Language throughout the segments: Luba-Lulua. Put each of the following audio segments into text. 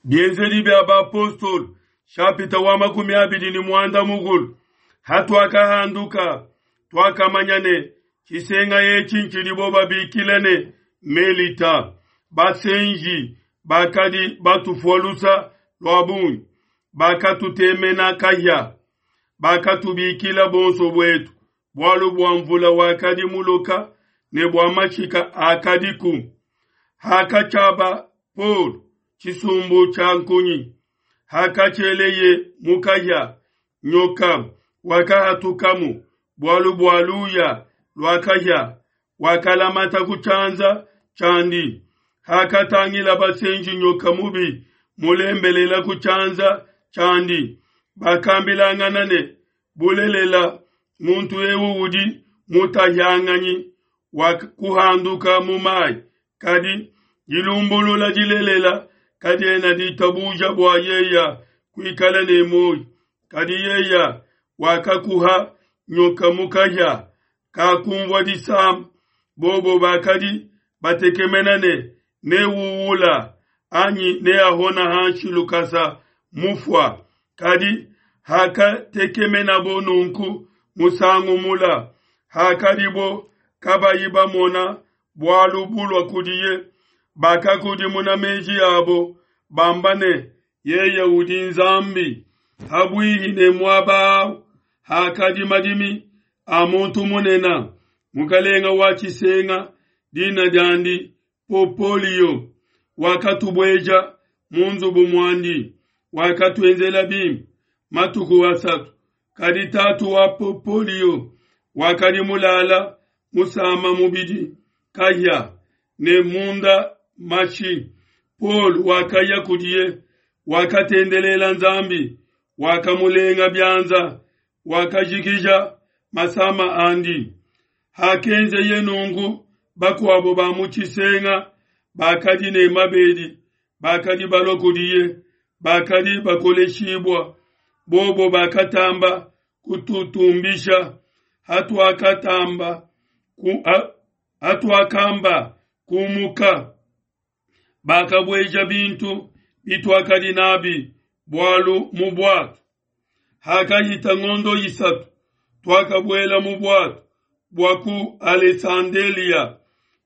Bienzedi bia Bapostolo, shapita wa 25. Hatuakahanduka, tuakamanya ne, Tshisenga etshi ntshidibo babikila ne Melita. Basenji bakadi batufua lusa lua bungi, bakatutemena kahia, bakatubikila bonso buetu, bualu bua mvula wakadi muloka ne bua mashika akadiku. Hakatshiaba Paulo tshisumbu tshia nkunyi, hakatshieleye mu kahia, nyoka wakahatukamu, bualu bua luya lua kahia wakalamata ku tshianza tshiandi. Hakatangila basenji nyoka mubi mulembelela ku tshianza tshiandi, bakambilangana ne, Bulelela, muntu eu udi mutahianganyi wa kuhanduka mu mai, kadi dilumbulula dilelela kadiena ditabuja bua yeya kuikala ne muoyo. Kadi yeya wakakuha nyoka mu kahia, kakunvua disama. Bobo bakadi batekemena ne, Neuwula anyi neahona hanshi lukasa mufua. Kadi hakatekemenabo nunku musangu mula, hakadibo kabayi bamona bualu bulua kudiye, bakakudimuna meji abo bamba ne, Yeye udi Nzambi. Habuihi ne muaba au hakadi madimi a muntu munene, mukelenge wa tshisenga, dina diandi Popolio, wakatubueja mu nzubu muandi, wakatuenzela bimpe matuku asatu. Kadi tatu wa Popolio wakadi mulala musama mubidi kahia ne munda mashi. Paulo wakaya kudiye, wakatendelela Nzambi, wakamulenga bianza, wakajikija masama andi. Hakenzeye nunku, bakuabo ba mu tshisenga bakadi ne mabedi bakadi balua kudiye, bakadi bakoleshibua. Bobo bakatamba kututumbisha hatuakatamba ku, hatuakamba kumuka, bakabueja bintu bituakadi nabi bualu mu buatu. Hakahita ngondo 3, tuakabuela mu buatu bua ku Alesandelia,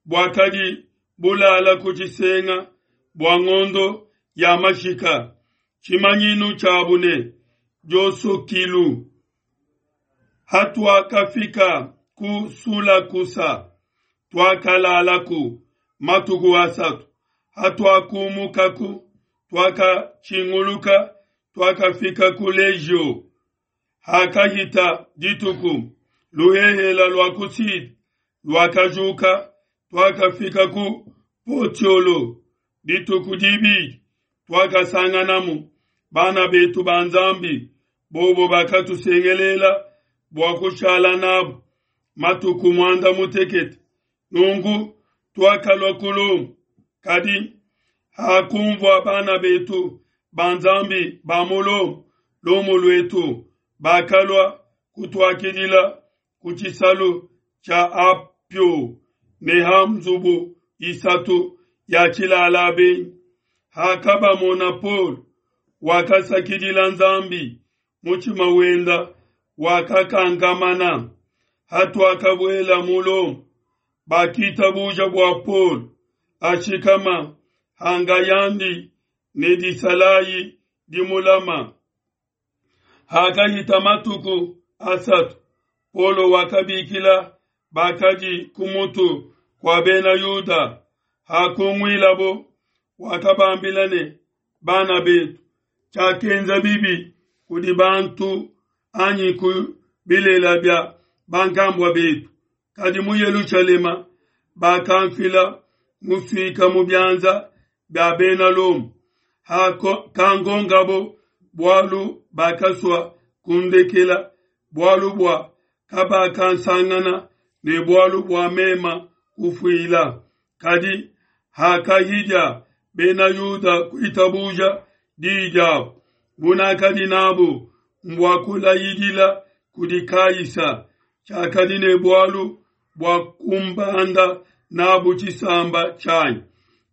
buakadi bulala ku tshisenga bua ngondo ya mashika, tshimanyinu tshiabu ne Diosokilu. Hatuakafika ku Sulakusa, tuakalalaku matuku asatu. Hatuakumukaku, tuakatshinguluka, tuakafika ku Legio. Hakahita dituku, luhehela lua ku Side luakajuka, tuakafika ku Potiolo. Dituku dibidi tuakasanganamu bana betu ba Nzambi, bobo bakatusengelela bua kushala nabo matuku muanda mutekete. Nunku tuakalua ku Lomo. Kadi hakunvua bana betu ba Nzambi ba mu Lomo lumu luetu, bakalua kutuakidila ku tshisalu tshia Apio ne ha nzubu 3 ya tshilala benyi. Hakabamona Paulo, wakasakidila Nzambi, mutshima wenda wakakankamana. Hatuakabuela mu Lomo, bakitabuja bua Paulo ashikama hangayandi ne disalayi dimulama. Hakahita matuku asatu, Paulo wakabikila bakadi ku mutu kua Bena Yuda. Hakunguilabo, wakabambila ne, Bana betu, tshiakenza bibi kudi bantu anyi ku bilela bia bankambua betu, kadi mu Yelushalema bakamfila musuika mu bianza bia Bena Lomo. Hakangongabo bualu bakasua kundekela, bualu bua kabakansangana ne bualu bua mema kufuila. Kadi hakahidia Bena Yuda kuitabuja diyi diabo, bunakadi nabu mbua kulayidila kudi Kaisa, tshiakadi ne bualu bua kumbanda nabu tshisamba tshianyi.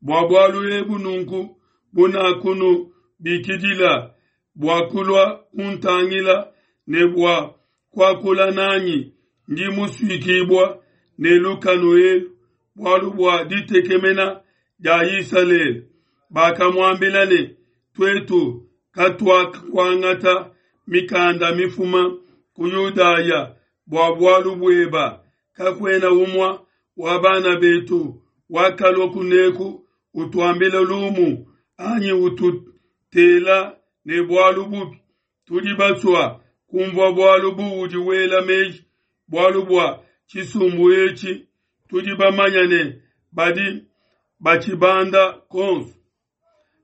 Bua bualu ebu nunku bunakunu bikidila bua kulua kuntangila ne bua kuakula nanyi, ndi musuikibua ne lukanu elu bualu bua ditekemena dia Isalele. Bakamuambila ne, Tuetu katuakuangata mikanda mifuma ku Yudaya bua bualu bueba, kakuena umua wa bana betu wakalua kuneku utuambila lumu anyi ututela ne bualu bubi. Tudi basua kumvua bualu buudi wela meji bualu bua tshisumbu etshi, tudi bamanya ne badi batshibanda konso.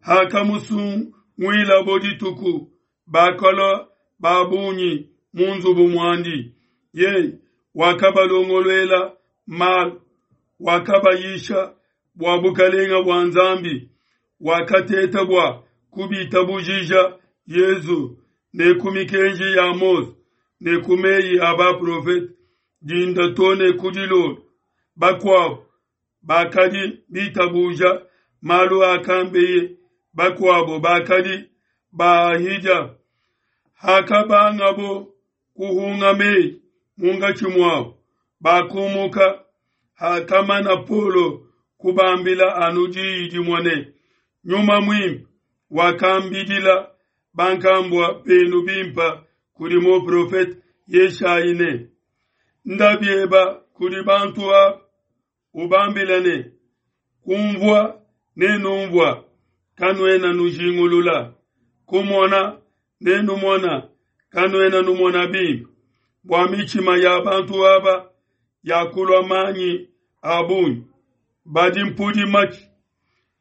Hakamusunguilabo dituku, bakalua ba bungi mu nzubu muandi. Yeye wakabalongoluela malu, wakabayisha bua bukalenga bua Nzambi, wakateta bua kubitabujija Yezu ne ku mikenji ya Mose ne ku meyi a baprofete dinda to ne ku dilolo. Bakuabo bakadi bitabuja malu akambeye, bakuabo bakadi baahidia. Hakabangabo kuhunga meyi munkatshi muabo, bakumuka. Hakamana Paulo kubambila anu diyi dimue ne, Nyuma Muimpe wakambidila bankambua benu bimpe kudi muprofete Yeshayi ne, Nda bieba kudi bantu aba, ubambila ne, Kumvua nenumvua, kanuena nujingulula, kumona nenumona, kanuena numona bimpe, bua mitshima ya bantu aba yakulua manyi a bungi, badi mpudi matshi,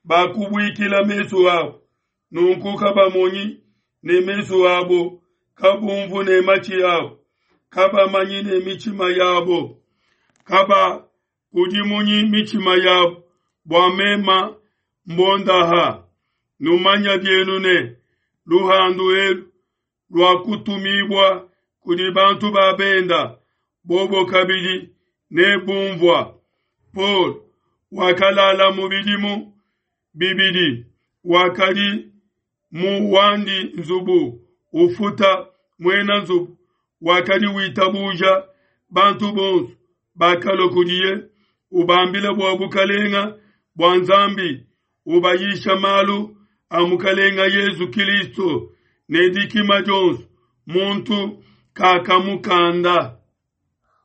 bakubuikila mesu abo, nunku kabamonyi ne mesu abo, kabumvu ne matshi abo, kabamanyi ne mitshima yabo, kabakudimunyi mitshima yabo, bua mema mbondaha. Numanya bienu ne luhandu elu luakutumibua kudi bantu ba benda, bobo kabidi nebumvua. Paul wakalala mu bidimu bibidi, wakadi mu wandi nzubu ufuta muena nzubu wakadi witabuja bantu bonso bakalua kudiye ubambila bua bukalenga bua Nzambi ubayisha malu a Mukalenga Yezu Kilisto ne dikima dionso, muntu kakamukanda.